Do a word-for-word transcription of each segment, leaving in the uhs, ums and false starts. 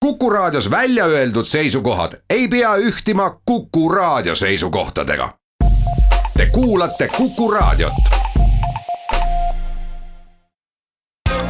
Kuku Raadios välja öeldud seisukohad ei pea ühtima Kuku Raadio seisukohtadega. Te kuulate Kuku Raadiot.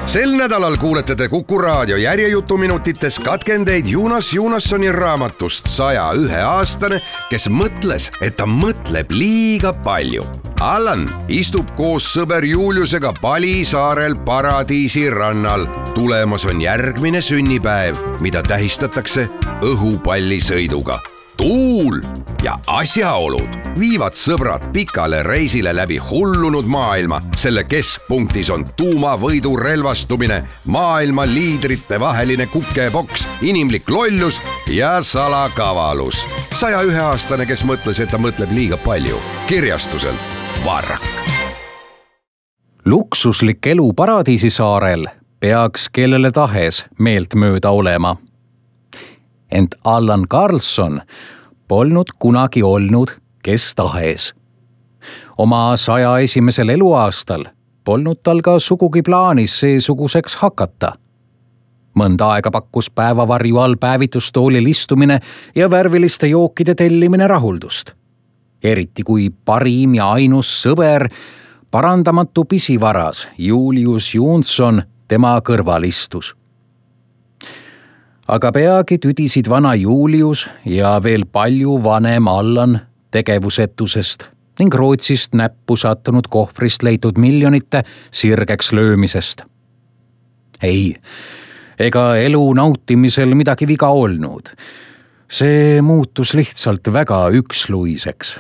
Sel nädalal kuulete te Kuku Raadio järjejutuminutites katkendeid Jonas Jonassoni raamatust saja ühe aastane, kes mõtles, et ta mõtleb liiga palju. Allan istub koos sõber Juliusega Pali saarel Paradiisi rannal. Tulemas on järgmine sünnipäev, mida tähistatakse õhupallisõiduga. Tuul ja asjaolud viivad sõbrad pikale reisile läbi hullunud maailma. Selle keskpunktis on tuumavõidu relvastumine, maailma liidrite vaheline kukeboks, inimlik lollus ja salakavalus. saja ühe aastane, kes mõtles, et ta mõtleb liiga palju. Kirjastuselt Varrak. Luksuslik elu Paradiisi saarel peaks kellele tahes meelt mööda olema. Ent Allan Karlsson polnud kunagi olnud kes tahes. Oma saja esimesel eluaastal polnud tal ka sugugi plaanis seesuguseks hakata. Mõnda aega pakkus päevavarju all päevitustoolil istumine ja värviliste jookide tellimine rahuldust. Eriti kui parim ja ainus sõber, parandamatu pisivaras Julius Jonsson tema kõrval istus. Aga peagi tüdisid vana Julius ja veel palju vanem Allan tegevusetusest ning Rootsist näppu sattunud kohvrist leitud miljonite sirgeks löömisest. Ei, ega elu nautimisel midagi viga olnud. See muutus lihtsalt väga üksluiseks.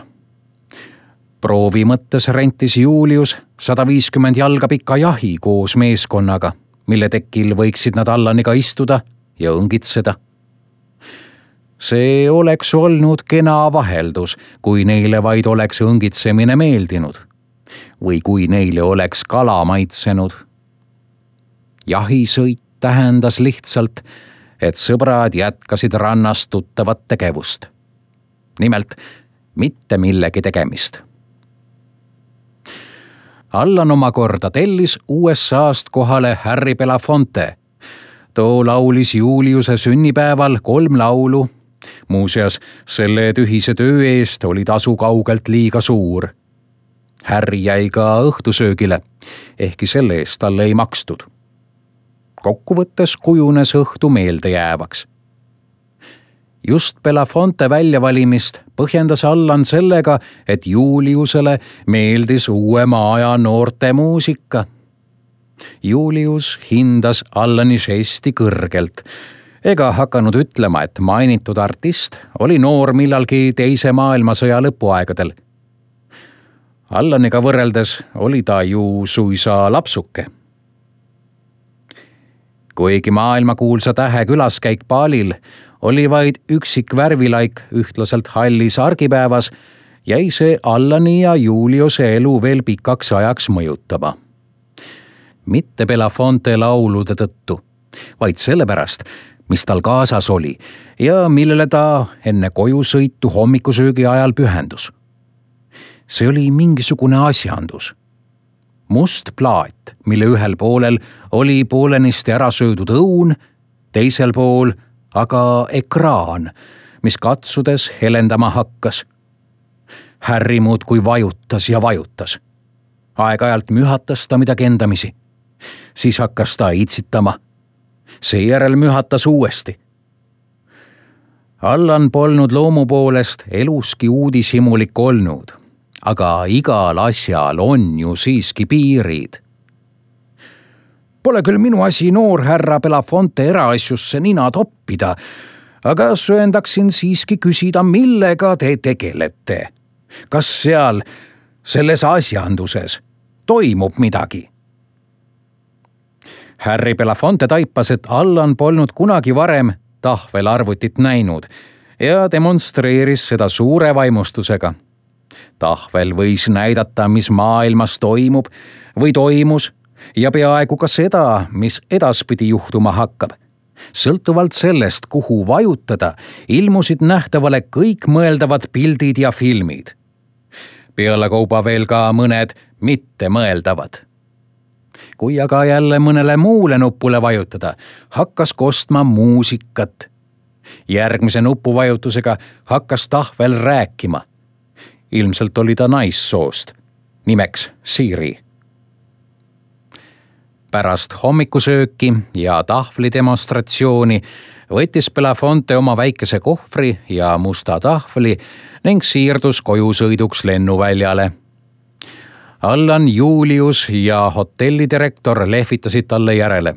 Proovi mõttes rentis Julius sada viiskümmend jalga pika jahi koos meeskonnaga, mille tekil võiksid nad Allaniga istuda ja õngitseda. See oleks olnud kena vaheldus, kui neile vaid oleks õngitsemine meeldinud või kui neile oleks kala maitsenud. Jahisõit tähendas lihtsalt, et sõbrad jätkasid rannas tuttavat tegevust. Nimelt mitte millegi tegemist. Allan omakorda tellis U S A-st kohale Harry Belafonte. Too laulis Juliuse sünnipäeval kolm laulu. Muuseas, selle tühise töö eest oli tasu kaugelt liiga suur. Harry jäi ka õhtusöögile, ehkki selle eest talle ei makstud. Kokkuvõttes kujunes õhtu meelde jäävaks. Just Belafonte väljavalimist põhjendas Allan sellega, et Juliusele meeldis uuema aja noorte muusika. Julius hindas Allani žesti kõrgelt, ega hakanud ütlema, et mainitud artist oli noor millalgi teise maailmasõja lõpuaegadel. Allaniga võrreldes oli ta ju suisa lapsuke. Kuigi maailmakuulsa tähe külaskäik Palil oli vaid üksik värvilaik ühtlaselt hallis argipäevas, jäi see Allani ja Juliuse elu veel pikaks ajaks mõjutama. Mitte Belafonte laulude tõttu, vaid sellepärast, mis tal kaasas oli ja millele ta enne koju sõitu hommikusöögi ajal pühendus. See oli mingisugune asjandus. Must plaat, mille ühel poolel oli poolenisti ära söödud õun, teisel pool aga ekraan, mis katsudes helendama hakkas. Harry muudkui vajutas ja vajutas. Aeg-ajalt mühatas ta midagi endamisi. Siis hakkas ta itsitama. Seejärel mühatas uuesti. Allan polnud loomu poolest eluski uudishimulik olnud, aga igal asjal on ju siiski piirid. Pole küll minu asi noor härra Belafonte eraasjusse nina toppida, aga sööndaksin siiski küsida, millega te tegelete. Kas seal, selles asjanduses, toimub midagi? Harry Belafonte taipas, et Allan polnud kunagi varem tahvelarvutit näinud ja demonstreeris seda suure vaimustusega. Tahvel võis näidata, mis maailmas toimub või toimus, ja peaaegu ka seda, mis edaspidi juhtuma hakkab. Sõltuvalt sellest, kuhu vajutada, ilmusid nähtavale kõik mõeldavad pildid ja filmid. Peale kauba veel ka mõned mitte mõeldavad. kui aga jälle mõnele muule nupule vajutada, hakkas kostma muusikat. Järgmise nupuvajutusega hakkas tahvel rääkima. Ilmselt oli ta naissoost, nimeks Siri. Pärast hommikusööki ja tahvli demonstratsiooni võttis Belafonte oma väikese kohvri ja musta tahvli ning siirdus koju sõiduks lennuväljale. Allan, Julius ja hotellidirektor lehvitasid talle järele.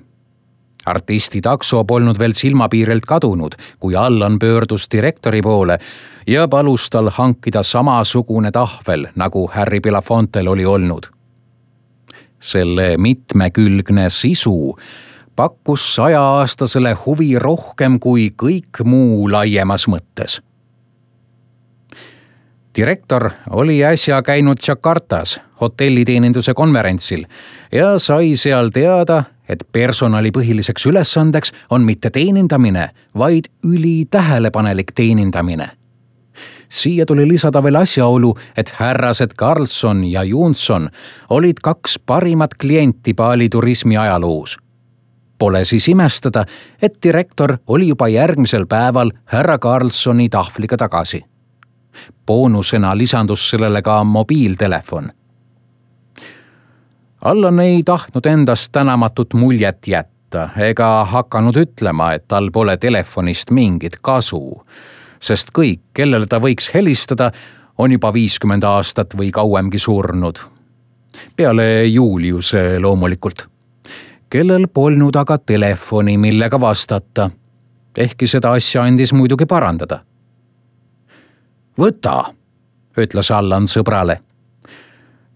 Artisti takso polnud veel silmapiirelt kadunud, kui Allan pöördus direktori poole ja palus tal hankida samasugune tahvel, nagu Harry Belafontel oli olnud. Selle mitmekülgne sisu pakkus sajaaastasele huvi rohkem kui kõik muu laiemas mõttes. Direktor oli äsja käinud Jakartas hotelliteeninduse konverentsil ja sai seal teada, et personali põhiliseks ülesandeks on mitte teenindamine, vaid ülitähelepanelik teenindamine. Siia tuli lisada veel asjaolu, et härrased Carlson ja Johnson olid kaks parimat klienti Bali turismi ajaloos. Pole siis imestada, et direktor oli juba järgmisel päeval härra Carlsoni tahvliga tagasi. Boonusena lisandus sellele ka mobiiltelefon. Allan ei tahtnud endast tänamatut muljet jätta ega hakanud ütlema, et tal pole telefonist mingit kasu, sest kõik, kellele ta võiks helistada, on juba viiskümmend aastat või kauemgi surnud. Peale Juliuse loomulikult, kellel polnud aga telefoni, millega vastata, ehkki seda asja andis muidugi parandada. Võta, ütles Allan sõbrale.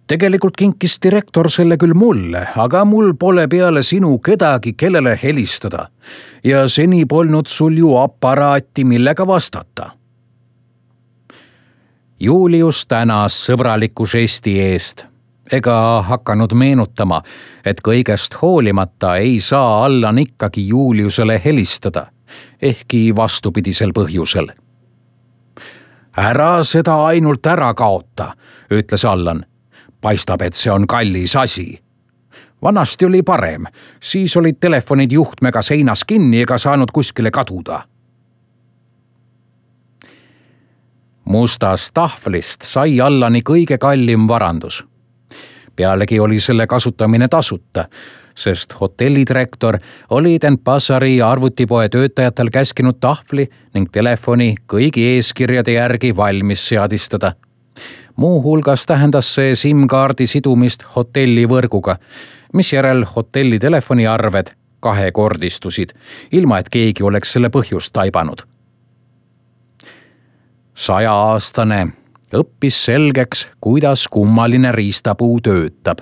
Tegelikult kinkis direktor selle küll mulle, aga mul pole peale sinu kedagi, kellele helistada. Ja seni polnud sul ju aparaati, millega vastata. Julius tänas sõbraliku žesti eest, ega hakanud meenutama, et kõigest hoolimata ei saa Allan ikkagi Juliusele helistada, ehkki vastupidisel põhjusel. Ära seda ainult ära kaota, ütles Allan. Paistab, et see on kallis asi. Vanasti oli parem, siis olid telefonid juhtmega seinas kinni ega saanud kuskile kaduda. Mustast tahvlist sai Allani kõige kallim varandus. Pealegi oli selle kasutamine tasuta, sest hotellidirektor oli Denpasari arvutipoe töötajatel käskinud tahvli ning telefoni kõigi eeskirjade järgi valmis seadistada. Muu hulgas tähendas see SIM-kaardi sidumist hotellivõrguga, mis järel hotelli telefoniarved kahekordistusid, ilma et keegi oleks selle põhjust taibanud. Sajaaastane õppis selgeks, kuidas kummaline riistapuu töötab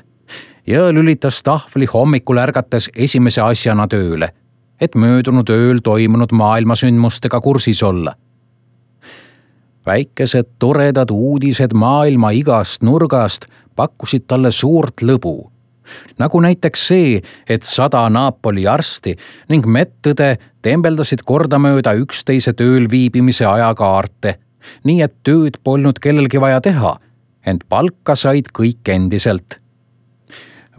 ja lülitas tahvli hommikul ärgates esimese asjana tööle, et möödunud ööl toimunud maailmasündmustega kursis olla. Väikesed toredad uudised maailma igast nurgast pakkusid talle suurt lõbu. Nagu näiteks see, et sada Napoli arsti ning medõde tembeldasid kordamööda üksteise tööl viibimise ajakaarte, nii et tööd polnud kellelgi vaja teha, ent palka said kõik endiselt.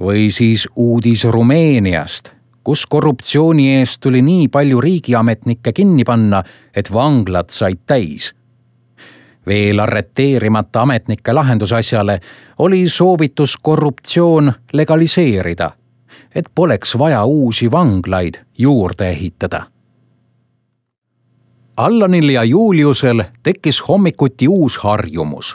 Või siis uudis Rumeeniast, kus korruptsiooni eest tuli nii palju riigiametnikke kinni panna, et vanglad said täis. Veel arreteerimata ametnike lahendusasjale oli soovitus korruptsioon legaliseerida, et poleks vaja uusi vanglaid juurde ehitada. Allanil ja Juliusel tekkis hommikuti uus harjumus.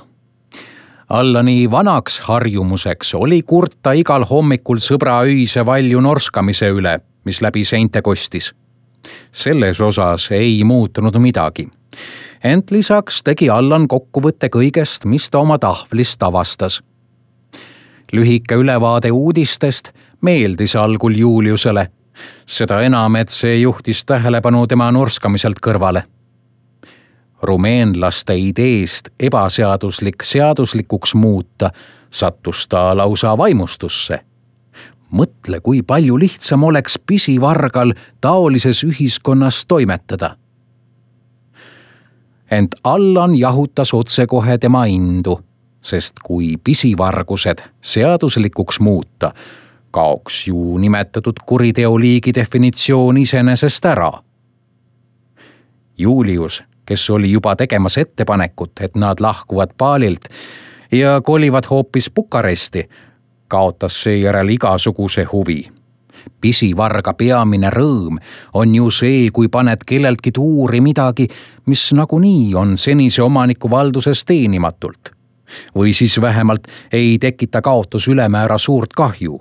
Allani vanaks harjumuseks oli kurta igal hommikul sõbra öise valju norskamise üle, mis läbi seinte kostis. Selles osas ei muutunud midagi. Ent lisaks tegi Allan kokkuvõtte kõigest, mis ta oma tahvlist avastas. Lühike ülevaade uudistest meeldis algul Juliusele, seda enam, et see juhtis tähelepanu tema norskamiselt kõrvale. Rumeenlaste ideest ebaseaduslik seaduslikuks muuta sattus ta lausa vaimustusse. Mõtle, kui palju lihtsam oleks pisivargal taolises ühiskonnas toimetada. Ent Allan jahutas otsekohe tema indu, sest kui pisivargused seaduslikuks muuta, kaoks ju nimetatud kuriteoliigi definitsioon iseenesest ära. Julius, kes oli juba tegemas ettepanekut, et nad lahkuvad baalilt ja kolivad hoopis Bukaresti, kaotas seejärel igasuguse huvi. Pisivarga peamine rõõm on ju see, kui paned kelleltki tuuri midagi, mis nagunii on senise omaniku valduses teenimatult. Või siis vähemalt ei tekita kaotus ülemäära suurt kahju.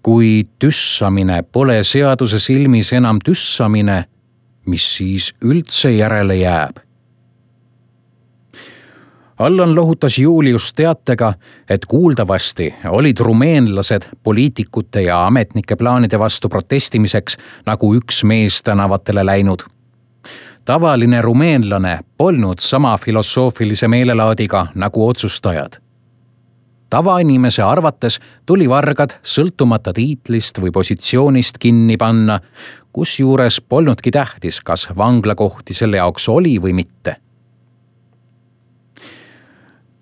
Kui tüssamine pole seaduse silmis enam tüssamine, mis siis üldse järele jääb? Allan lohutas Julius teatega, et kuuldavasti olid rumeenlased poliitikute ja ametnike plaanide vastu protestimiseks nagu üks mees tänavatele läinud. Tavaline rumeenlane polnud sama filosoofilise meelelaadiga nagu otsustajad. Tavainimese arvates tuli vargad sõltumata tiitlist või positsioonist kinni panna, kusjuures polnudki tähtis, kas vanglakohti selle jaoks oli või mitte.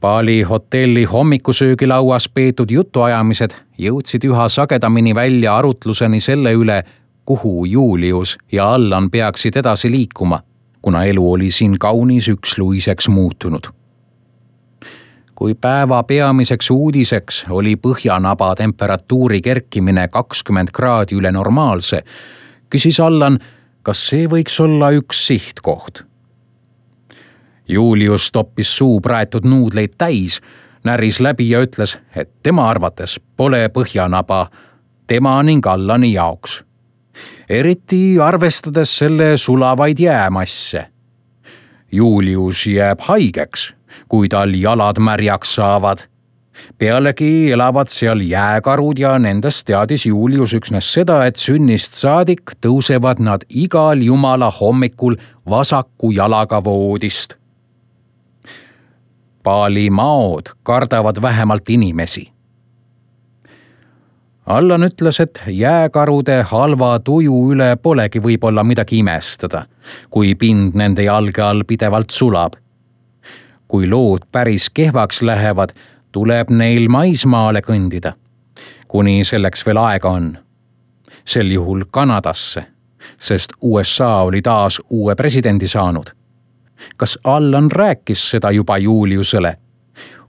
Bali hotelli hommikusöögilauas peetud jutuajamised jõudsid üha sagedamini välja arutluseni selle üle, kuhu Julius ja Allan peaksid edasi liikuma, kuna elu oli siin kaunis üksluiseks muutunud. Kui päeva peamiseks uudiseks oli põhjanaba temperatuuri kerkimine kakskümmend kraadi üle normaalse, küsis Allan, kas see võiks olla üks sihtkoht. Julius toppis suu praetud nuudleid täis, näris läbi ja ütles, et tema arvates pole põhjanaba tema ning Allani jaoks. Eriti arvestades selle sulavaid jäämasse. Julius jääb haigeks, kui tal jalad märjaks saavad. Pealegi elavad seal jääkarud ja nendest teadis Julius üksnes seda, et sünnist saadik tõusevad nad igal jumala hommikul vasaku jalaga voodist. Bali maod kardavad vähemalt inimesi. Allan ütles, et jääkarude halva tuju üle polegi võib-olla midagi imestada, kui pind nende jalge all pidevalt sulab. Kui lood päris kehvaks lähevad, tuleb neil maismaale kõndida, kuni selleks veel aega on. Sel juhul Kanadasse, sest U S A oli taas uue presidendi saanud. Kas Allan rääkis seda juba Juliusele?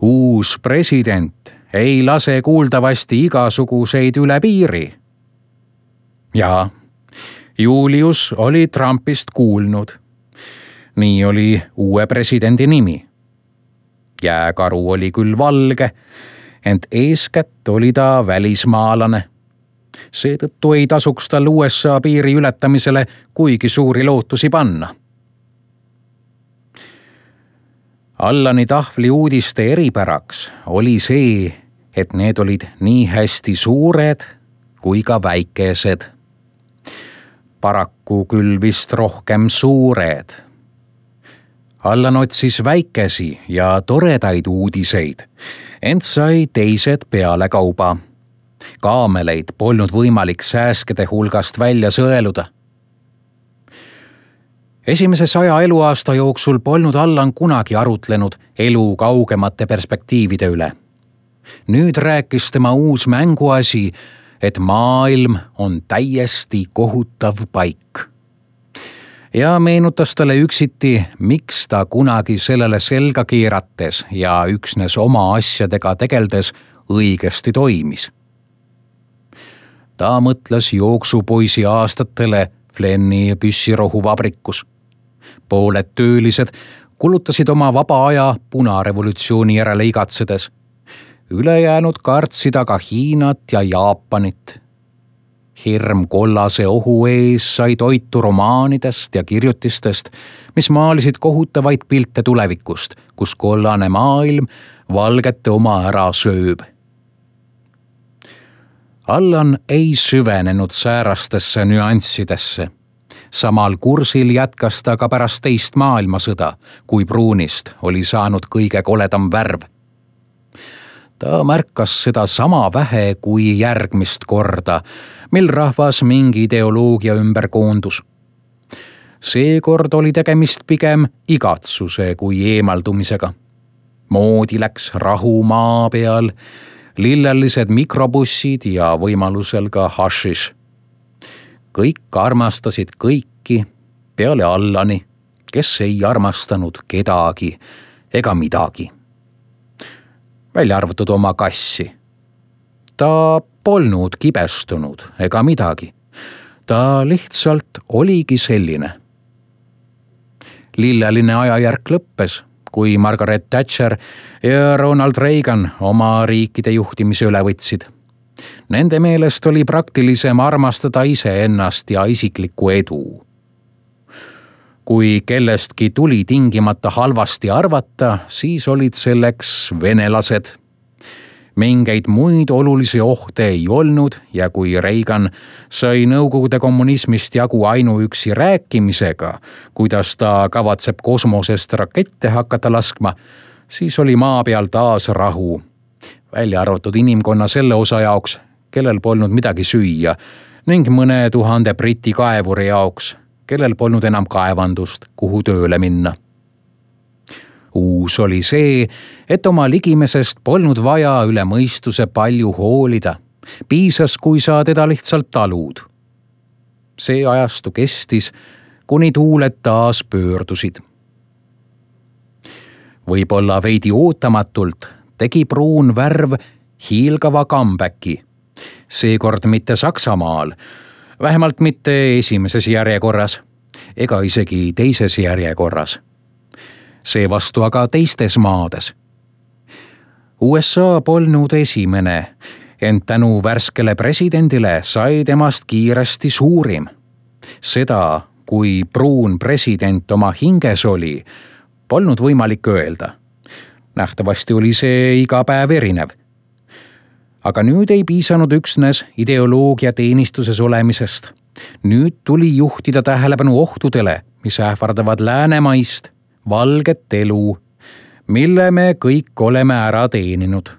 Uus president ei lase kuuldavasti igasuguseid üle piiri. Ja Julius oli Trumpist kuulnud. Nii oli uue presidendi nimi. Jääkaru oli küll valge, ent eeskätt oli ta välismaalane. Seetõttu ei tasuks tal U S A piiri ületamisele kuigi suuri lootusi panna. Allani tahvli uudiste eripäraks oli see, et need olid nii hästi suured kui ka väikesed. Paraku küll vist rohkem suured. Allan otsis väikesi ja toredaid uudiseid, ent sai teised peale kauba. Kaameleid polnud võimalik sääskede hulgast välja sõeluda. Esimese saja eluaasta jooksul polnud Allan kunagi arutlenud elu kaugemate perspektiivide üle. Nüüd rääkis tema uus mänguasi, et maailm on täiesti kohutav paik. Ja meenutas talle üksiti, miks ta kunagi sellele selga keerates ja üksnes oma asjadega tegeldes õigesti toimis. Ta mõtles jooksupoisi aastatele Flenni püssirohu vabrikus. Pooled töölised kulutasid oma vaba aja punarevolutsiooni järele igatsedes. Ülejäänud kartsid aga Hiinat ja Jaapanit. Hirm kollase ohu ees sai toitu romaanidest ja kirjutistest, mis maalisid kohutavaid pilte tulevikust, kus kollane maailm valgete oma ära sööb. Allan ei süvenenud säärastesse nüanssidesse. Samal kursil jätkas ta ka pärast teist maailmasõda, kui pruunist oli saanud kõige koledam värv. Ta märkas seda sama vähe kui järgmist korda, mil rahvas mingi ideoloogia ümber koondus. Seekord oli tegemist pigem igatsuse kui eemaldumisega. Moodi läks rahu maa peal, lillelised mikrobussid ja võimalusel ka hašiš. Kõik armastasid kõiki peale Allani, kes ei armastanud kedagi ega midagi. Välja arvatud oma kassi. Ta polnud kibestunud ega midagi. Ta lihtsalt oligi selline. Lilleline ajajärk lõppes, kui Margaret Thatcher ja Ronald Reagan oma riikide juhtimise üle võtsid. Nende meelest oli praktilisem armastada iseennast ja isiklikku edu. Kui kellestki tuli tingimata halvasti arvata, siis olid selleks venelased. Mingeid muid olulisi ohte ei olnud ja kui Reagan sai Nõukogude kommunismist jagu ainuüksi rääkimisega, kuidas ta kavatseb kosmosest rakette hakata laskma, siis oli maa peal taas rahu. Välja arvatud inimkonna selle osa jaoks, kellel polnud midagi süüa, ning mõne tuhande Briti kaevuri jaoks, kellel polnud enam kaevandust, kuhu tööle minna. Uus oli see, et oma ligimesest polnud vaja üle mõistuse palju hoolida. Piisas, kui sa teda lihtsalt talud. See ajastu kestis, kuni tuuled taas pöördusid. Võib-olla veidi ootamatult tegi pruun värv hiilgava comeback'i. Seekord mitte Saksamaal, vähemalt mitte esimeses järjekorras, ega isegi teises järjekorras. Seevastu aga teistes maades. U S A polnud esimene, ent tänu värskele presidendile sai temast kiiresti suurim. Seda, kui pruun president oma hinges oli, polnud võimalik öelda. Nähtavasti oli see iga päev erinev. Aga nüüd ei piisanud üksnes ideoloogia teenistuses olemisest. Nüüd tuli juhtida tähelepanu ohtudele, mis ähvardavad läänemaist, valget elu, mille me kõik oleme ära teeninud.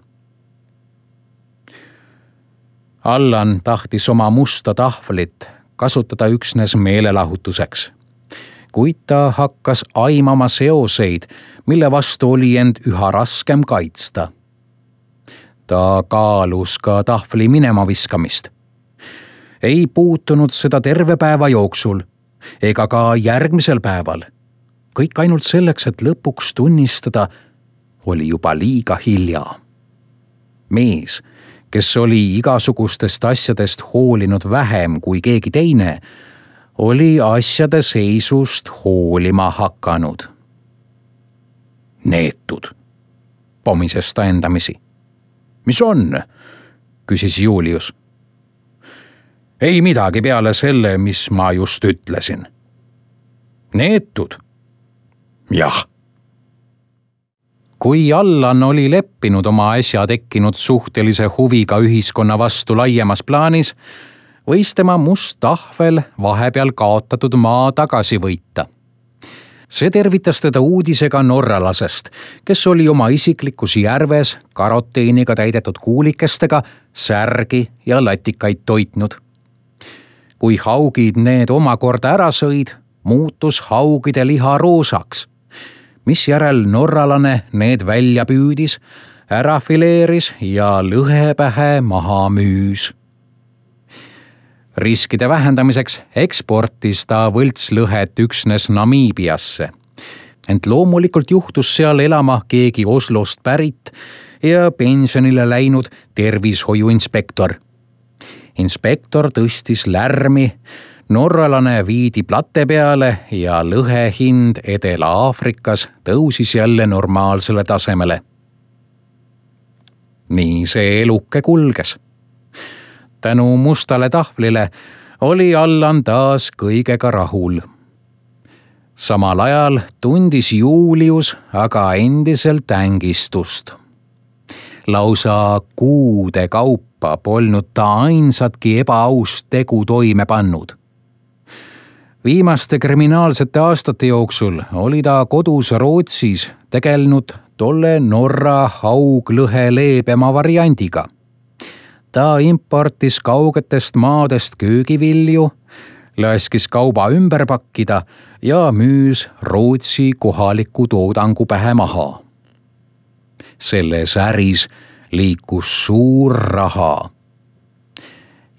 Allan tahtis oma musta tahvlit kasutada üksnes meelelahutuseks, kuid ta hakkas aimama seoseid, mille vastu oli end üha raskem kaitsta. Ta kaalus ka tahvli minema viskamist. Ei puutunud seda terve päeva jooksul ega ka järgmisel päeval. Kõik ainult selleks, et lõpuks tunnistada, oli juba liiga hilja. Mees, kes oli igasugustest asjadest hoolinud vähem kui keegi teine, oli asjade seisust hoolima hakanud. Neetud, pomises ta endamisi. Mis on? Küsis Julius. Ei midagi peale selle, mis ma just ütlesin. Neetud? Jah. Kui Allan oli leppinud oma äsja tekkinud suhtelise huviga ühiskonna vastu laiemas plaanis, võis tema must tahvel vahepeal kaotatud maa tagasi võita. See tervitas teda uudisega norralasest, kes oli oma isiklikus järves karoteeniga täidetud kuulikestega särgi ja latikaid toitnud. Kui haugid need omakorda ära sõid, muutus haugide liha roosaks, mis järel norralane need välja püüdis, ära fileeris ja lõhepähe maha müüs. Riskide vähendamiseks eksportis ta võltslõhet üksnes Namiibiasse, ent loomulikult juhtus seal elama keegi Oslost pärit ja pensionile läinud tervishoiuinspektor. Inspektor tõstis lärmi, norralane viidi plate peale ja lõhe hind Edela-Aafrikas tõusis jälle normaalsele tasemele. Nii see eluke kulges. Tänu mustale tahvlile oli Allan taas kõigega rahul. Samal ajal tundis Julius aga endiselt ängistust. Lausa kuude kaupa polnud ta ainsatki ebaaust tegu toime pannud. Viimaste kriminaalsete aastate jooksul oli ta kodus Rootsis tegelenud tolle Norra hauglõhe leebema variandiga. Ta importis kaugetest maadest köögivilju, laskis kauba ümber pakkida ja müüs Rootsi kohaliku toodangu pähe maha. Selles äris liikus suur raha.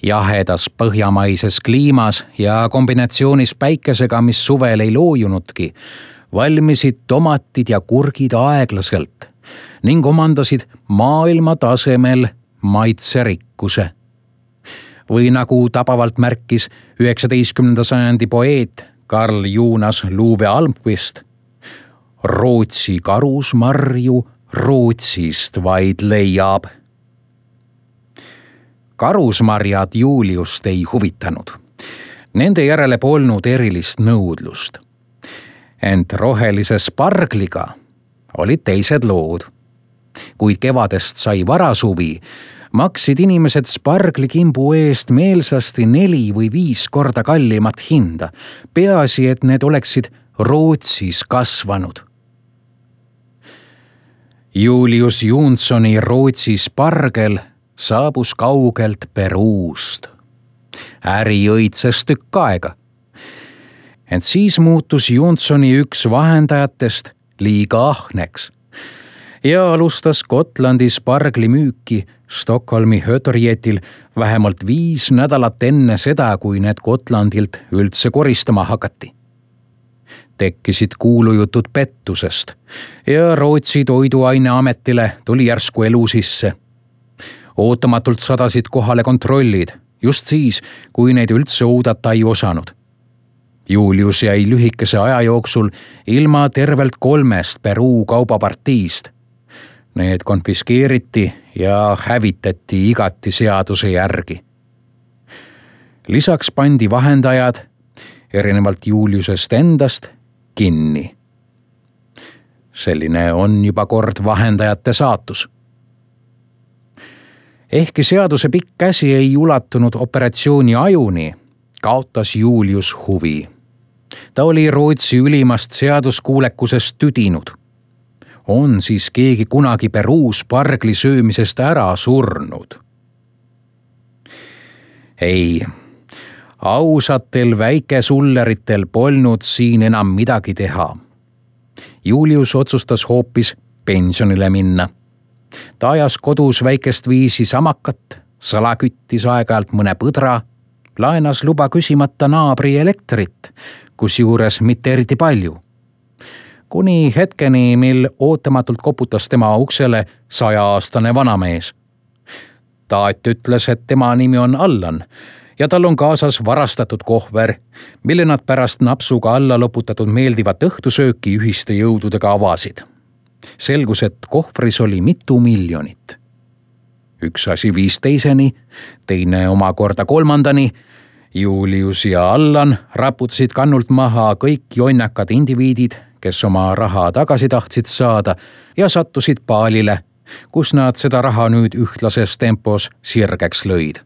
Jahedas põhjamaises kliimas ja kombinatsioonis päikesega, mis suvel ei loojunudki, valmisid tomatid ja kurgid aeglaselt ning omandasid maailma tasemel maitserikkuse. Või nagu tabavalt märkis üheksateistkümnenda sajandi poeet Karl Jonas Luve Almqvist, Rootsi karusmarju Rootsist vaid leiab. Karusmarjad Juliust ei huvitanud. Nende järele polnud erilist nõudlust. Ent rohelise spargliga olid teised lood. Kuid kevadest sai varasuvi, maksid inimesed sparglikimbu eest meelsasti neli või viis korda kallimat hinda. Peaasi, et need oleksid Rootsis kasvanud. Julius Johnsoni Rootsi spargel saabus kaugelt Peruust. Äri õitses tükk aega. Ent siis muutus Johnsoni üks vahendajatest liiga ahneks ja alustas Gotlandi spargli müüki Stockholmi Hötorgetil vähemalt viis nädalat enne seda, kui need Gotlandilt üldse koristama hakati. Tekkisid kuulujutud pettusest ja Rootsi toiduaineametile tuli järsku elu sisse. Ootamatult sadasid kohale kontrollid, just siis, kui neid üldse oodata ei osanud. Julius jäi lühikese aja jooksul ilma tervelt kolmest Peruu kaubapartiist. Need konfiskeeriti ja hävitati igati seaduse järgi. Lisaks pandi vahendajad, erinevalt Juliusest endast, kinni. Selline on juba kord vahendajate saatus. Ehkki seaduse pikk käsi ei ulatunud operatsiooni ajuni, kaotas Julius huvi. Ta oli Rootsi ülimast seaduskuulekusest tüdinud. On siis keegi kunagi Peruu spargli söömisest ära surnud? Ei, ausatel väikesulleritel polnud siin enam midagi teha. Julius otsustas hoopis pensionile minna. Ta ajas kodus väikest viisi samakat, salaküttis aeg-ajalt mõne põdra, laenas luba küsimata naabri elektrit, kusjuures mitte eriti palju. Kuni hetkeni, mil ootamatult koputas tema uksele sajaaastane vanamees. Taat ütles, et tema nimi on Allan ja tal on kaasas varastatud kohver, mille nad pärast napsuga alla loputatud meeldivat õhtusööki ühiste jõududega avasid. Selgus, et kohvris oli mitu miljonit. Üks asi viis teiseni, teine omakorda kolmandani. Julius ja Allan raputasid kannult maha kõik jonnakad indiviidid, kes oma raha tagasi tahtsid saada ja sattusid paalile, kus nad seda raha nüüd ühtlases tempos sirgeks lõid.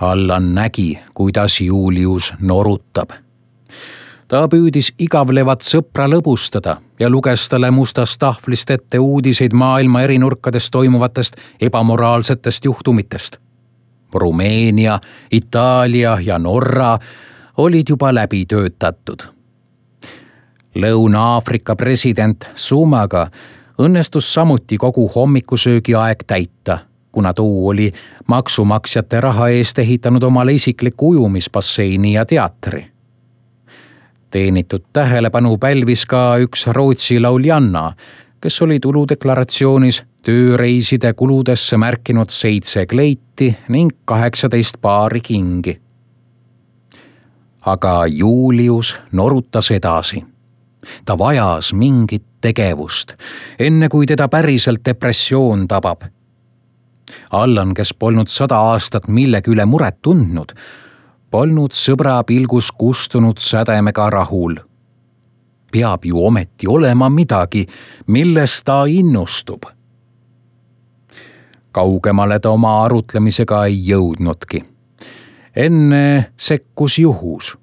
Allan nägi, kuidas Julius norutab. Ta püüdis igavlevat sõpra lõbustada ja luges talle mustast tahvlist ette uudiseid maailma eri nurkades toimuvatest ebamoraalsetest juhtumitest. Rumeenia, Itaalia ja Norra olid juba läbi töötatud. Lõuna-Aafrika president Zumaga õnnestus samuti kogu hommikusöögi aeg täita, kuna tuu oli maksumaksjate raha eest ehitanud omale isikliku ujumispasseini ja teatri. Teenitud tähelepanu pälvis ka üks Rootsi lauljanna, kes oli tuludeklaratsioonis tööreiside kuludesse märkinud seitse kleiti ning kaheksateist paari kingi. Aga Julius norutas edasi. Ta vajas mingit tegevust, enne kui teda päriselt depressioon tabab. Allan, kes polnud sada aastat millegi üle muret tundnud, polnud sõbra pilgus kustunud sädemega rahul. Peab ju ometi olema midagi, millest ta innustub. Kaugemale ta oma arutlemisega ei jõudnudki. Enne sekkus juhus.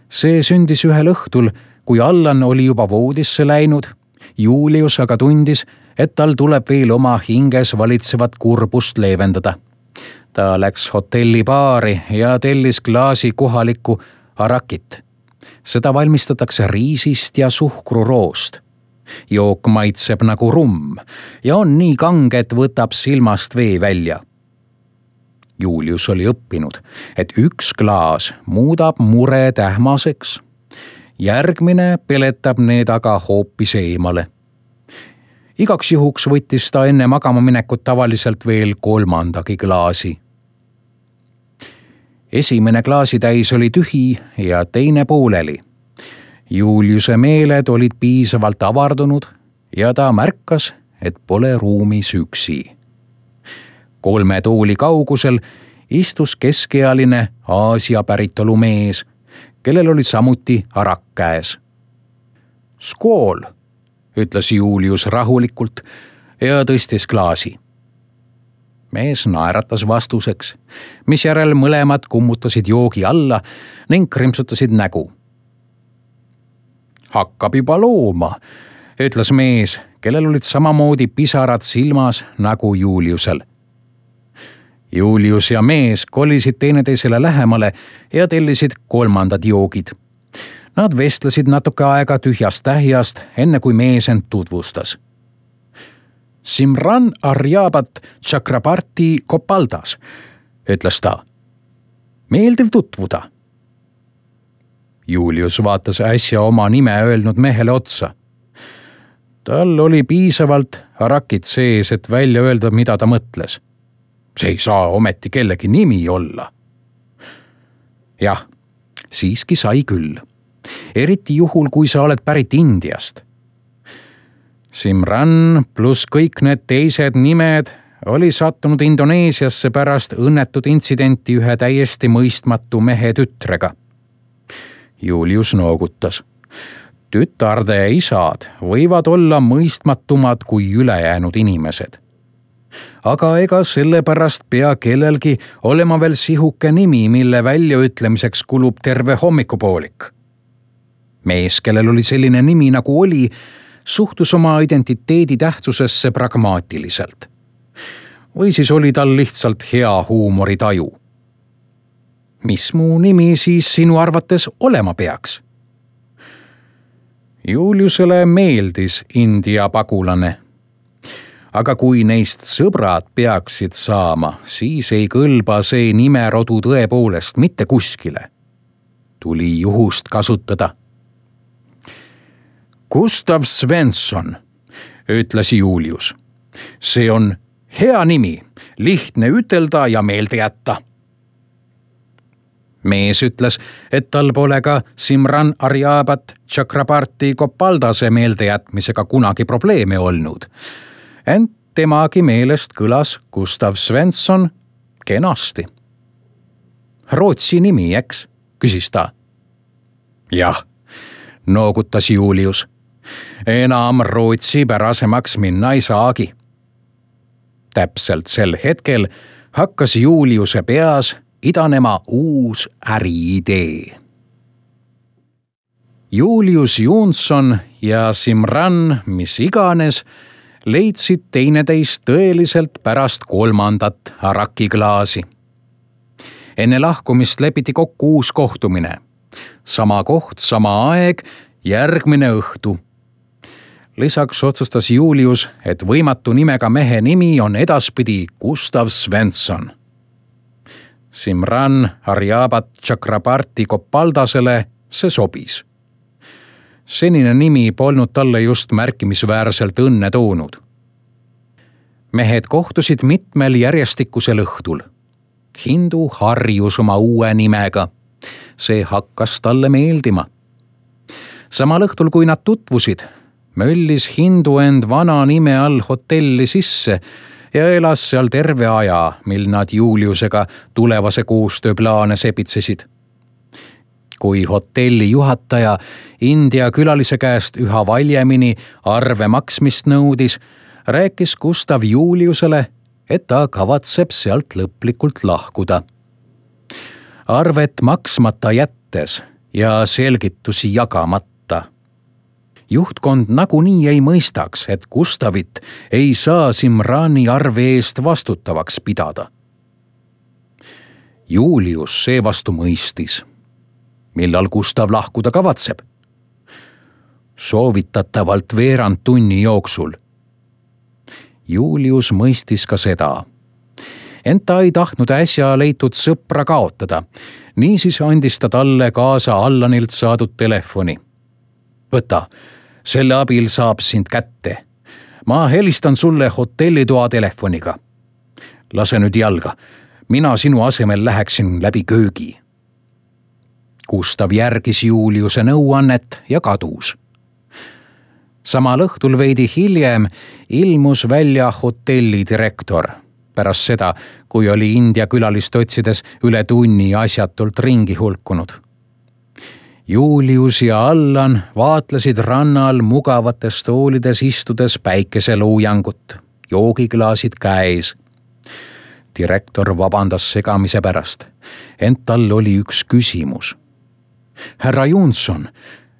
See sündis ühel õhtul, kui Allan oli juba voodisse läinud. Julius aga tundis, et tal tuleb veel oma hinges valitsevat kurbust leevendada. Ta läks hotelli baari ja tellis klaasi kohalikku arakit. Seda valmistatakse riisist ja suhkruroost. jook maitseb nagu rumm ja on nii kange, et võtab silmast vee välja. Julius oli õppinud, et üks klaas muudab mure tähmaseks. Järgmine peletab need aga hoopis eemale. Igaks juhuks võttis ta enne magama minekut tavaliselt veel kolmandagi klaasi. Esimene klaasitäis oli tühi ja teine pooleli. Juliuse meeled olid piisavalt avardunud ja ta märkas, et pole ruumis üksi. Kolme tooli kaugusel istus keskealine Aasia päritolu mees, kellel oli samuti arak käes. Skool, ütles Julius rahulikult ja tõstis klaasi. Mees naeratas vastuseks, mis järel mõlemad kummutasid joogi alla ning krimpsutasid nägu. Hakkab juba looma, ütles mees, kellel olid samamoodi pisarad silmas nagu Juliusel. Julius ja mees kolisid teineteisele lähemale ja tellisid kolmandad joogid. Nad vestlesid natuke aega tühjast tähjast, enne kui mees end tutvustas. Simran Aryabat Chakrabarti Gopaldas, ütles ta. Meeldiv tutvuda. Julius vaatas äsja oma nime öelnud mehele otsa. Tal oli piisavalt arakit sees, et välja öelda, mida ta mõtles. See ei saa ometi kellegi nimi olla. Jah, siiski sai küll. Eriti juhul, kui sa oled pärit Indiast. Simran pluss kõik need teised nimed oli sattunud Indoneesiasse pärast õnnetut intsidenti ühe täiesti mõistmatu mehe tütrega. Julius noogutas. Tütarde isad võivad olla mõistmatumad kui ülejäänud inimesed. Aga ega sellepärast pea kellelgi olema veel sihuke nimi, mille väljaütlemiseks kulub terve hommikupoolik. Mees, kellel oli selline nimi nagu oli, suhtus oma identiteedi tähtsusesse pragmaatiliselt. Või siis oli tal lihtsalt hea huumoritaju. Mis mu nimi siis sinu arvates olema peaks? Juliusele meeldis India pagulane. Aga kui neist sõbrad peaksid saama, siis ei kõlba see nimerodu tõepoolest mitte kuskile. Tuli juhust kasutada. Gustav Svensson, ütles Julius. See on hea nimi, lihtne ütelda ja meelde jätta. Mees ütles, et tal pole ka Simran Aryabat Chakrabarti Gopaldase meeldejätmisega kunagi probleeme olnud. Ent temagi meelest kõlas Gustav Svensson kenasti. Rootsi nimi, eks, küsis ta. Jah, noogutas Julius. Enam Rootsi pärasemaks minna ei saagi. Täpselt sel hetkel hakkas Juliuse peas idanema uus äriidee. Julius Johnson ja Simran, mis iganes, leidsid teineteist tõeliselt pärast kolmandat arakiklaasi. Enne lahkumist lepiti kokku uus kohtumine. Sama koht, sama aeg, järgmine õhtu. Lisaks otsustas Julius, et võimatu nimega mehe nimi on edaspidi Gustav Svensson. Simran Aryabat Chakrabarti Gopaldasele see sobis. Senine nimi polnud talle just märkimisväärselt õnne toonud. Mehed kohtusid mitmel järjestikusel õhtul. Hindu harjus oma uue nimega. See hakkas talle meeldima. Samal õhtul, kui nad tutvusid, möllis Hindu end vana nime all hotelli sisse ja elas seal terve aja, mil nad Juliusega tulevase koostööplaane sepitsesid. Kui hotelli juhataja India külalise käest üha valjemini arve maksmist nõudis, rääkis Gustav Juliusele, et ta kavatseb sealt lõplikult lahkuda. Arvet maksmata jättes ja selgitusi jagamata. Juhtkond nagunii ei mõistaks, et Gustavit ei saa Simrani arve eest vastutavaks pidada. Julius seevastu mõistis. Millal Gustav lahkuda kavatseb? soovitatavalt veerand tunni jooksul. Julius mõistis ka seda. Ent ta ei tahtnud äsja leitud sõpra kaotada. Niisiis andis ta talle kaasa Allanilt saadud telefoni. Võta, selle abil saab sind kätte. Ma helistan sulle hotellitoa telefoniga. Lase nüüd jalga. Mina sinu asemel läheksin läbi köögi. Gustav järgis Juliuse nõuannet ja kadus. Samal õhtul veidi hiljem ilmus välja hotelli direktor. Pärast seda, kui oli India külalist otsides üle tunni asjatult ringi hulkunud. Julius ja Allan vaatlesid rannal mugavates toolides istudes päikeseluujangut, joogiklaasid käes. Direktor vabandas segamise pärast, ent tal oli üks küsimus. Härra Johnson,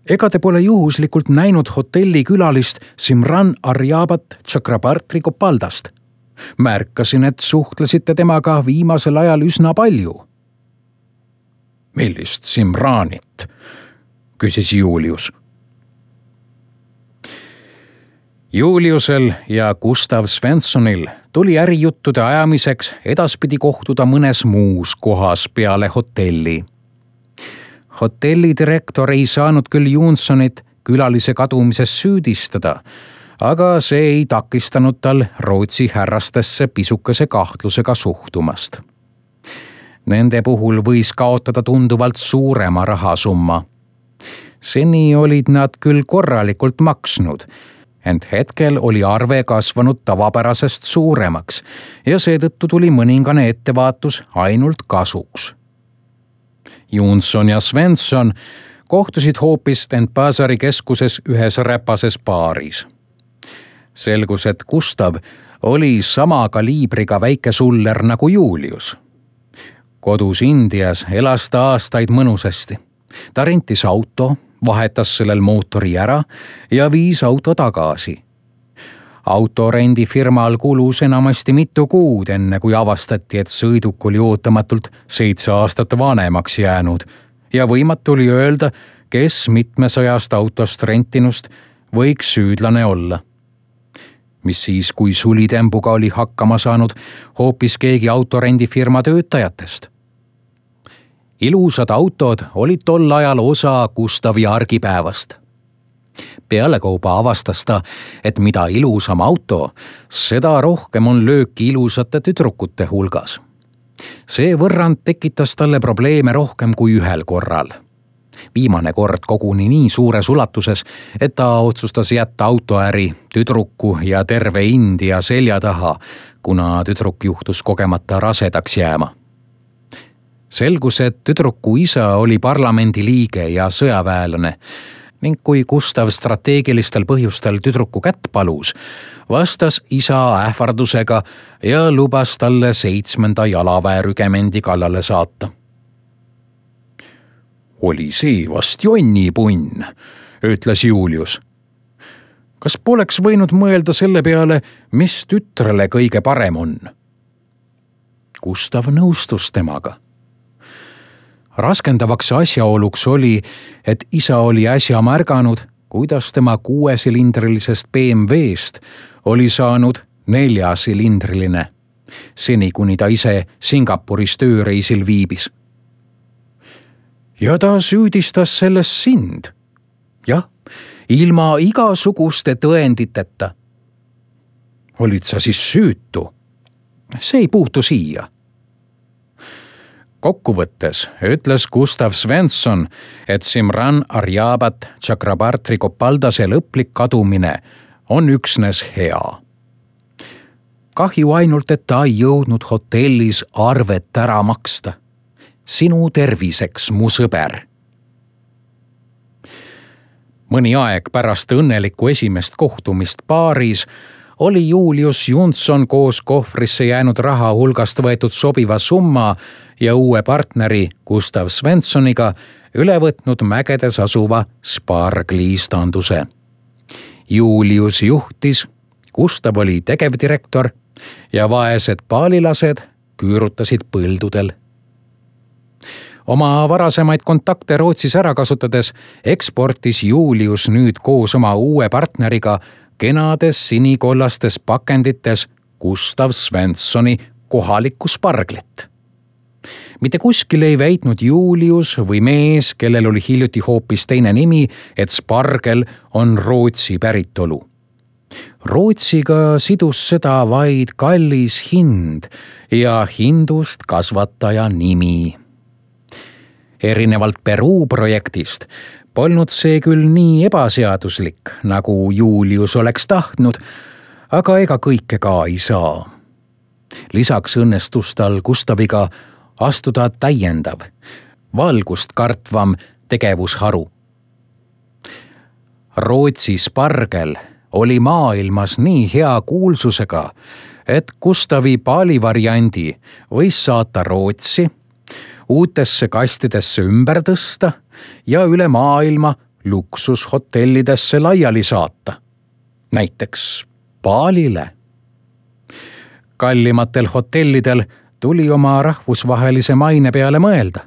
ega te pole juhuslikult näinud hotelli külalist Simran Arjabat Chakrabarti Gopaldast? Märkasin, et suhtlesite temaga viimasel ajal üsna palju. Millist Simranit? Küsis Julius. Juliusel ja Gustav Svenssonil tuli ärijuttude ajamiseks edaspidi kohtuda mõnes muus kohas peale hotelli. Hotelli direktor ei saanud küll Johnsonit külalise kadumises süüdistada, aga see ei takistanud tal Rootsi härrastesse pisukese kahtlusega suhtumast. Nende puhul võis kaotada tunduvalt suurema rahasumma. Seni olid nad küll korralikult maksnud, ent hetkel oli arve kasvanud tavapärasest suuremaks ja seetõttu tuli mõningane ettevaatus ainult kasuks. Johnson ja Svensson kohtusid hoopis Denpasari keskuses ühes räpases baaris. Selgus, et Gustav oli sama kaliibriga väike suller nagu Julius. Kodus Indias elas ta aastaid mõnusasti. Ta rentis auto, vahetas sellel mootori ära ja viis auto tagasi. Autorendifirmal kulus enamasti mitu kuud, enne kui avastati, et sõiduk oli ootamatult seitse aastat vanemaks jäänud ja võimatu oli öelda, kes mitmesajast autost rentinust võiks süüdlane olla. Mis siis, kui sulitembuga oli hakkama saanud hoopis keegi autorendifirma töötajatest? Ilusad autod olid tol ajal osa Gustavi argipäevast. Pealekauba avastas ta, et mida ilusam auto, seda rohkem on lööki ilusate tüdrukute hulgas. See võrrand tekitas talle probleeme rohkem kui ühel korral. Viimane kord koguni nii suures ulatuses, et ta otsustas jätta autoäri, tüdruku ja terve India selja taha, kuna tüdruk juhtus kogemata rasedaks jääma. Selgus, et tüdruku isa oli parlamendi liige ja sõjaväelane ning kui Gustav strateegilistel põhjustel tüdruku kätt palus, vastas isa ähvardusega ja lubas talle seitsmenda jalaväerügemendi kallale saata. Oli see vast jonnipunn, ütles Julius. Kas poleks võinud mõelda selle peale, mis tütrele kõige parem on? Gustav nõustus temaga. Raskendavaks asjaoluks oli, et isa oli äsja märganud, kuidas tema kuuesilindrilisest B M W-st oli saanud neljasilindriline, seni kuni ta ise Singapuris tööreisil viibis. Ja ta süüdistas selles sind. Jah, ilma igasuguste tõenditeta. Olid sa siis süütu? See ei puutu siia. Kokkuvõttes ütles Gustav Svensson, et Simran Arjabat Chakrabarti Gopaldase lõplik kadumine on üksnes hea. Kahju ainult, et ta ei jõudnud hotellis arvet ära maksta. Sinu terviseks, mu sõber. Mõni aeg pärast õnnelikku esimest kohtumist baaris oli Julius Johnson koos kohvrisse jäänud raha hulgast võetud sobiva summa ja uue partneri Gustav Svenssoniga üle võtnud mägedes asuva Spargli-istanduse. Julius juhtis, Gustav oli tegevdirektor ja vaesed paalilased küürutasid põldudel. Oma varasemaid kontakte Rootsis ära kasutades eksportis Julius nüüd koos oma uue partneriga kenades sinikollastes pakendites Gustav Svenssoni kohalikku sparglit. Mitte kuskil ei väitnud Julius või mees, kellel oli hiljuti hoopis teine nimi, et spargel on Rootsi päritolu. Rootsiga sidus seda vaid kallis hind ja hindust kasvataja nimi. Erinevalt Peruu projektist polnud see küll nii ebaseaduslik, nagu Julius oleks tahtnud, aga ega kõike ka ei saa. Lisaks õnnestus tal Gustaviga astuda täiendav, valgust kartvam tegevusharu. Rootsi spargel oli maailmas nii hea kuulsusega, et Gustavi paalivariandi võis saata Rootsi, uutesse kastidesse ümber tõsta ja üle maailma luksushotellidesse laiali saata. Näiteks Baalile. Kallimatel hotellidel tuli oma rahvusvahelise maine peale mõelda.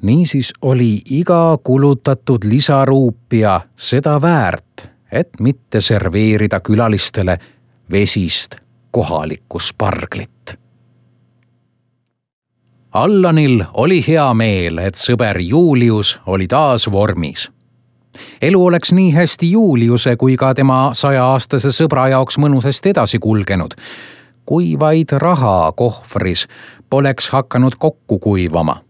Niisiis oli iga kulutatud lisaruupia seda väärt, et mitte serveerida külalistele vesist kohalikku sparglit. Allanil oli hea meel, et sõber Julius oli taas vormis. Elu oleks nii hästi Juliuse kui ka tema sajaaastase sõbra jaoks mõnusasti edasi kulgenud, kui vaid raha kohvris poleks hakanud kokku kuivama.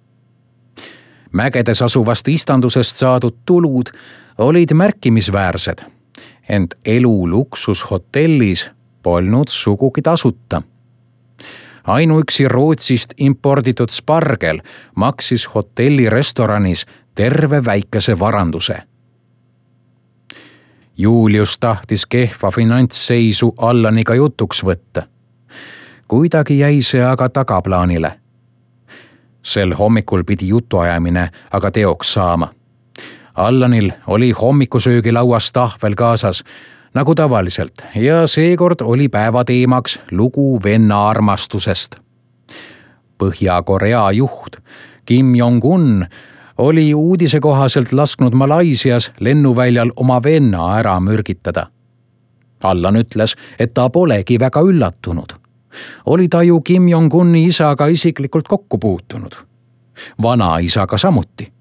Mägedes asuvast istandusest saadud tulud olid märkimisväärsed, ent elu luksushotellis polnud sugugi tasuta. Ainuüksi Rootsist imporditud spargel maksis hotelli restoranis terve väikese varanduse. Julius tahtis kehva finantsseisu Allaniga jutuks võtta. Kuidagi jäi see aga tagaplaanile. Sel hommikul pidi jutuajamine aga teoks saama. Allanil oli hommikusöögilauas tahvel kaasas, nagu tavaliselt, ja seekord oli päevateemaks lugu venna armastusest. Põhja-Korea juht Kim Jong-un oli uudise kohaselt lasknud Malaisias lennuväljal oma venna ära mürgitada. Allan ütles, et ta polegi väga üllatunud. Oli ta ju Kim Jong-uni isaga isiklikult kokku puutunud. Vanaisaga samuti.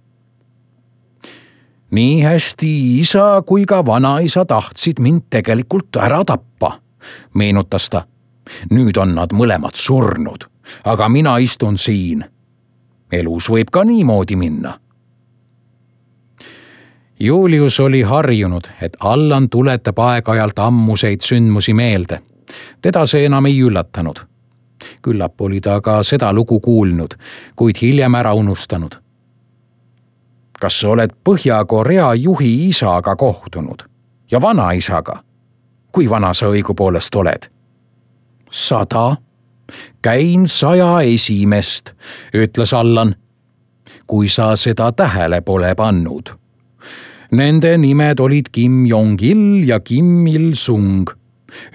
Nii hästi isa kui ka vanaisa tahtsid mind tegelikult ära tappa, meenutas ta. Nüüd on nad mõlemad surnud, aga mina istun siin. Elus võib ka niimoodi minna. Julius oli harjunud, et Allan tuletab aeg-ajalt ammuseid sündmusi meelde. Teda see enam ei üllatanud. Küllap oli ta ka seda lugu kuulnud, kuid hiljem ära unustanud. Kas sa oled Põhja-Korea juhi isaga kohtunud ja vanaisaga? Kui vana sa õigupoolest oled? Sada. Käin saja esimest, ütles Allan. Kui sa seda tähele pole pannud. Nende nimed olid Kim Jong-il ja Kim Il-sung.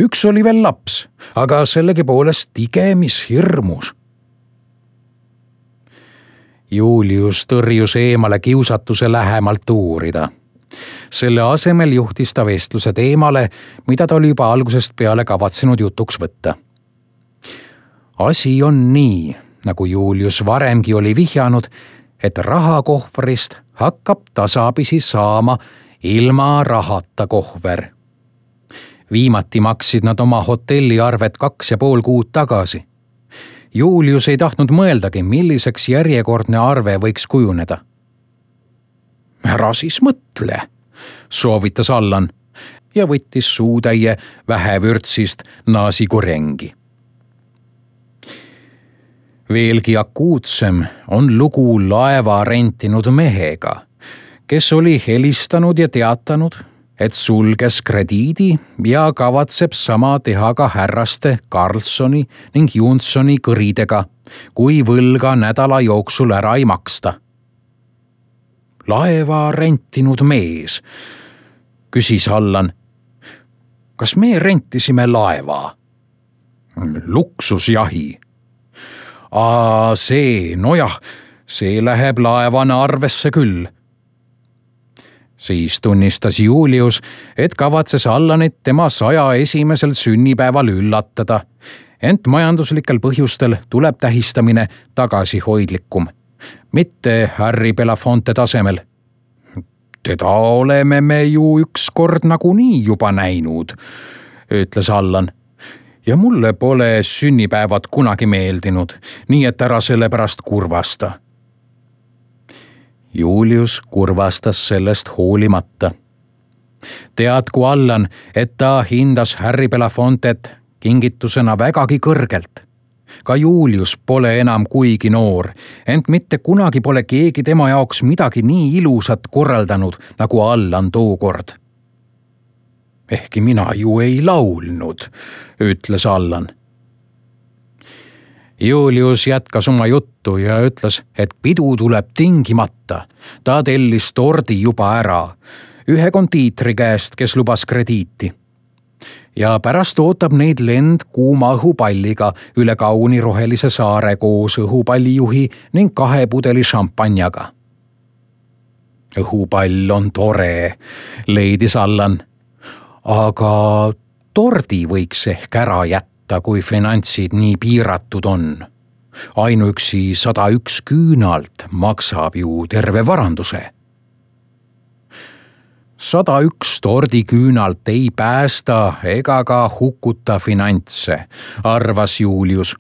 Üks oli veel laps, aga sellegi poolest tige, mis hirmus. Julius tõrjus eemale kiusatuse lähemalt uurida. Selle asemel juhtis ta vestluse teemale, mida ta oli juba algusest peale kavatsenud jutuks võtta. Asi on nii, nagu Julius varemgi oli vihjanud, et rahakohvrist hakkab tasapisi saama ilma rahata kohver. Viimati maksid nad oma hotelliarvet kaks ja pool kuud tagasi. Julius ei tahtnud mõeldagi, milliseks järjekordne arve võiks kujuneda. Ära siis mõtle, soovitas Allan ja võttis suutäie vähevürtsist naasikurengi. Veelgi akuutsem on lugu laeva rentinud mehega, kes oli helistanud ja teatanud, et sulges krediidi ja kavatseb sama teha ka härraste Karlssoni ning Jonssoni kõridega, kui võlga nädala jooksul ära ei maksta. Laeva rentinud mees, küsis Allan. Kas me rentisime laeva? Luksusjahi. Aa, see, nojah, see läheb laevana arvesse küll. Siis tunnistas Julius, et kavatses Allanit tema saja esimesel sünnipäeval üllatada, ent majanduslikel põhjustel tuleb tähistamine tagasihoidlikum, mitte Harry Belafonte tasemel. Teda oleme me ju ükskord nagunii juba näinud, ütles Allan. Ja mulle pole sünnipäevad kunagi meeldinud, nii et ära selle pärast kurvasta. Julius kurvastas sellest hoolimata. Teadku Allan, et ta hindas Harry Belafontet kingitusena vägagi kõrgelt. Ka Julius pole enam kuigi noor, ent mitte kunagi pole keegi tema jaoks midagi nii ilusat korraldanud nagu Allan tookord. Ehkki mina ju ei laulnud, ütles Allan. Julius jätkas oma juttu ja ütles, et pidu tuleb tingimata. Ta tellis tordi juba ära, ühe kondiitri käest, kes lubas krediiti. Ja pärast ootab neid lend kuuma õhupalliga üle kauni rohelise saare koos õhupallijuhi ning kahe pudeli šampanjaga. Õhupall on tore, leidis Allan. Aga tordi võiks ehk ära jätta, kui finantsid nii piiratud on. Ainuüksi sada üks küünalt maksab ju terve varanduse. Sada üks tordiküünalt ei päästa ega ka hukuta finantse, arvas Julius.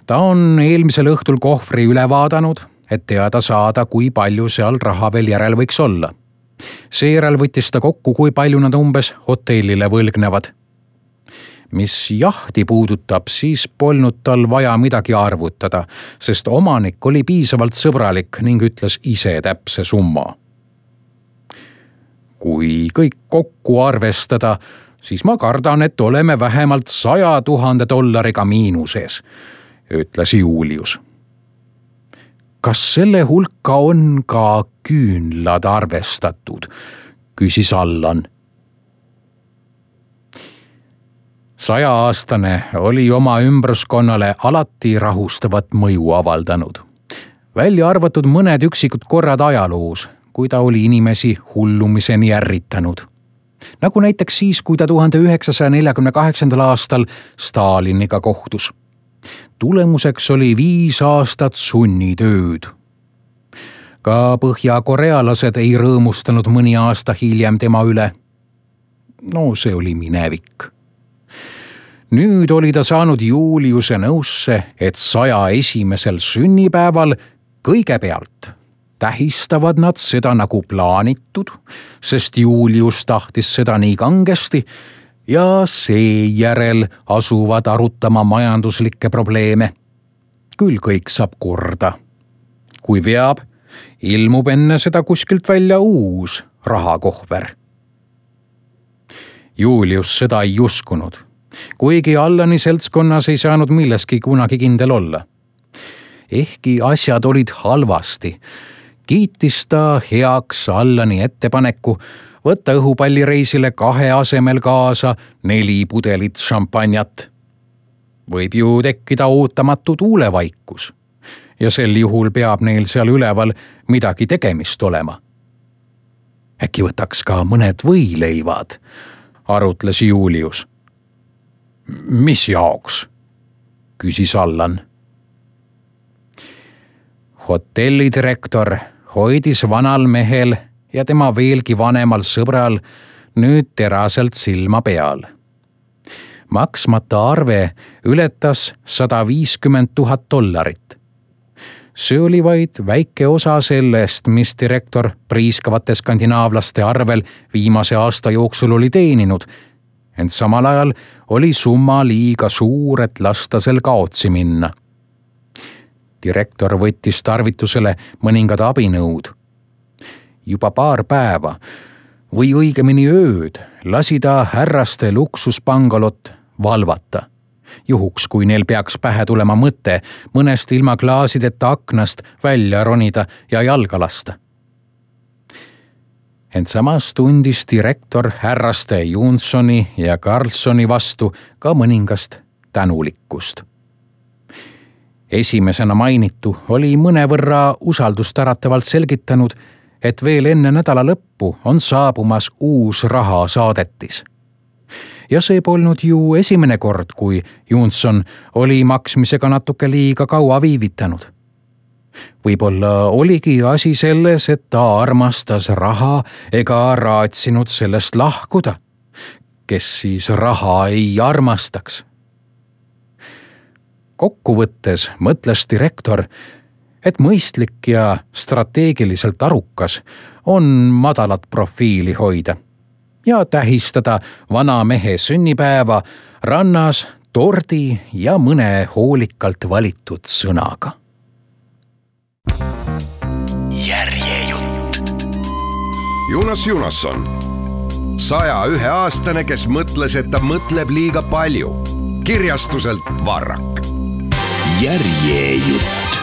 Ta on eelmisel õhtul kohvri üle vaadanud, et teada saada, kui palju seal raha veel järel võiks olla. Seejärel võttis ta kokku, kui palju nad umbes hotellile võlgnevad. Mis jahti puudutab, siis polnud tal vaja midagi arvutada, sest omanik oli piisavalt sõbralik ning ütles ise täpse summa. Kui kõik kokku arvestada, siis ma kardan, et oleme vähemalt saja tuhande dollariga miinuses, ütles Julius. Kas selle hulka on ka küünlad arvestatud, küsis Allan. Sajaaastane oli oma ümbruskonnale alati rahustavat mõju avaldanud. Välja arvatud mõned üksikud korrad ajaloos, kui ta oli inimesi hullumiseni ärritanud. Nagu näiteks siis, kui ta tuhande üheksasaja neljakümne kaheksandal aastal Staliniga kohtus. Tulemuseks oli viis aastat sunnitööd. Ka põhja-korealased ei rõõmustanud mõni aasta hiljem tema üle. No see oli minevik. Nüüd oli ta saanud Juliuse nõusse, et saja esimesel sünnipäeval kõigepealt tähistavad nad seda nagu plaanitud, sest Julius tahtis seda nii kangesti, ja seejärel asuvad arutama majanduslikke probleeme. Küll kõik saab korda. Kui veab, ilmub enne seda kuskilt välja uus rahakohver. Julius seda ei uskunud, kuigi Allani seltskonnas ei saanud milleski kunagi kindel olla. Ehkki asjad olid halvasti, kiitis ta heaks Allani ettepaneku võtta õhupallireisile kahe asemel kaasa neli pudelit šampanjat. Võib ju tekkida ootamatu tuulevaikus ja sel juhul peab neil seal üleval midagi tegemist olema. Äkki võtaks ka mõned võileivad, arutles Julius. Mis jaoks? Küsis Allan. Hotellidirektor hoidis vanal mehel ja tema veelgi vanemal sõbral nüüd teraselt silma peal. Maksmata arve ületas sada viiskümmend tuhat dollarit. See oli vaid väike osa sellest, mis direktor priiskavate skandinaavlaste arvel viimase aasta jooksul oli teeninud, ent samal ajal oli summa liiga suur, et lasta sel kaotsi minna. Direktor võttis tarvitusele mõningad abinõud. Juba paar päeva või õigemini ööd lasi ta härraste luksuspangalot valvata. Juhuks, kui neil peaks pähe tulema mõte mõnest ilma klaasideta aknast välja ronida ja jalga lasta. Ent samas tundis direktor härraste Johnsoni ja Carlsoni vastu ka mõningast tänulikkust. esimesena mainitu oli mõnevõrra usaldustäratavalt selgitanud, et veel enne nädala lõppu on saabumas uus rahasaadetis. Ja see polnud ju esimene kord, kui Johnson oli maksmisega natuke liiga kaua viivitanud. Võib-olla oligi asi selles, et ta armastas raha ega raatsinud sellest lahkuda. Kes siis raha ei armastaks? Kokkuvõttes mõtles direktor, et mõistlik ja strateegiliselt arukas on madalat profiili hoida ja tähistada vana mehe sünnipäeva rannas tordi ja mõne hoolikalt valitud sõnaga. Järjejutt. Jonas Jonasson, saja ühe aastane, kes mõtles, et ta mõtleb liiga palju. Kirjastuselt Varrak. Järjejutt.